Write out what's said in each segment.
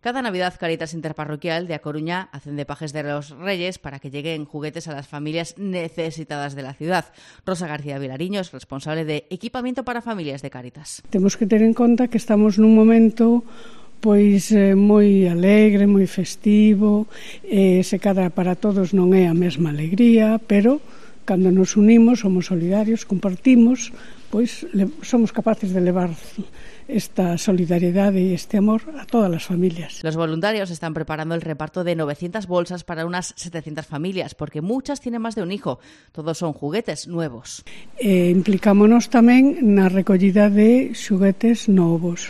Cada Navidad, Cáritas Interparroquial de A Coruña hacen de pajes de los Reyes para que lleguen juguetes a las familias necesitadas de la ciudad. Rosa García Vilariño es responsable de equipamiento para familias de Cáritas. Temos que ter en conta que estamos nun momento moi alegre, moi festivo, se cadra para todos non é a mesma alegría, pero cando nos unimos, somos solidarios, compartimos, somos capaces de levar esta solidaridade e este amor a todas as familias. Los voluntarios están preparando el reparto de 900 bolsas para unas 700 familias, porque muchas tienen más de un hijo. Todos son juguetes nuevos. Implicámonos tamén na recollida de xuguetes novos,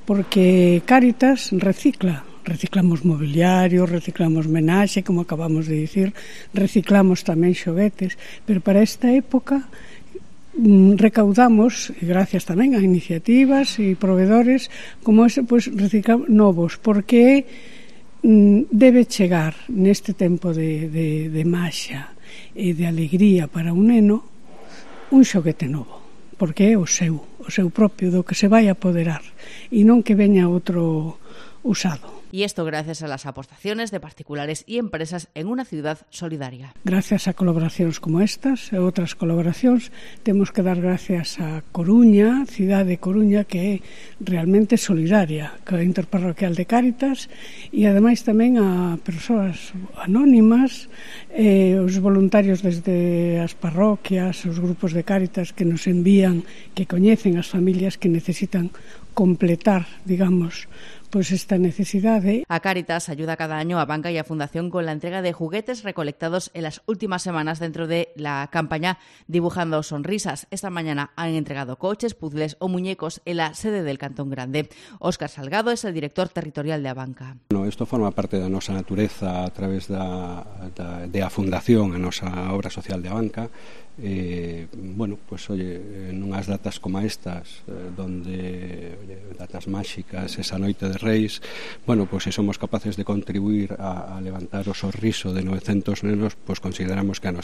porque Cáritas reciclamos mobiliario, reciclamos menaxe, como acabamos de dicir, reciclamos tamén xoguetes, pero para esta época recaudamos, e gracias tamén a iniciativas e proveedores como ese, reciclamos novos, porque debe chegar neste tempo de maxa e de alegría para un neno un xoguete novo, porque é o seu propio, do que se vai apoderar, e non que veña outro usado. Y esto gracias a las aportaciones de particulares y empresas en una ciudad solidaria. Gracias a colaboracións como estas e outras colaboracións, temos que dar gracias a Coruña, cidade de Coruña, que é realmente solidaria, que é interparroquial de Cáritas, e ademais tamén a persoas anónimas, os voluntarios desde as parroquias, os grupos de Cáritas que nos envían, que coñecen as familias que necesitan completar, digamos, esta necesidade. A Cáritas ayuda cada año a Banca y a Fundación con la entrega de juguetes recolectados en las últimas semanas dentro de la campaña Dibujando Sonrisas. Esta mañana han entregado coches, puzzles o muñecos en la sede del Cantón Grande. Óscar Salgado es el director territorial de Abanca. Isto forma parte da nosa natureza a través de a Fundación, a nosa obra social de Abanca. Nunhas datas como estas, datas máxicas, esa noite de Reis, se somos capaces de contribuir a levantar o sorriso de 900 nenos, consideramos que a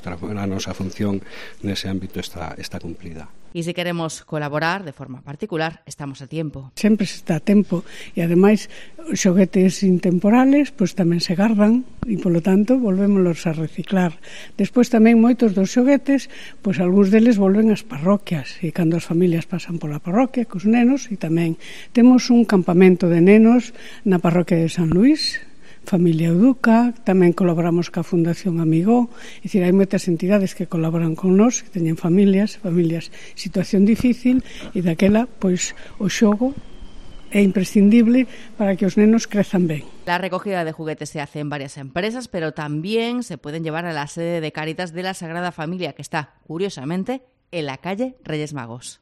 nosa función nese ámbito está cumplida. Y si queremos colaborar de forma particular, estamos a tiempo. Sempre se está a tempo, e ademais os xoguetes intemporales tamén se gardan e polo tanto volvémolos a reciclar. Despois tamén moitos dos xoguetes, algúns deles volven ás parroquias, e cando as familias pasan pola parroquia cos nenos, e tamén temos un campamento de nenos na parroquia de San Luís, Familia Uduca, tamén colaboramos ca Fundación Amigó, é dicir, hai moitas entidades que colaboran con nós, que teñen familias, situación difícil, e daquela, o xogo é imprescindible para que os nenos crezan ben. La recogida de juguetes se hace en varias empresas, pero también se pueden llevar a la sede de Cáritas de la Sagrada Familia, que está, curiosamente, en la calle Reyes Magos.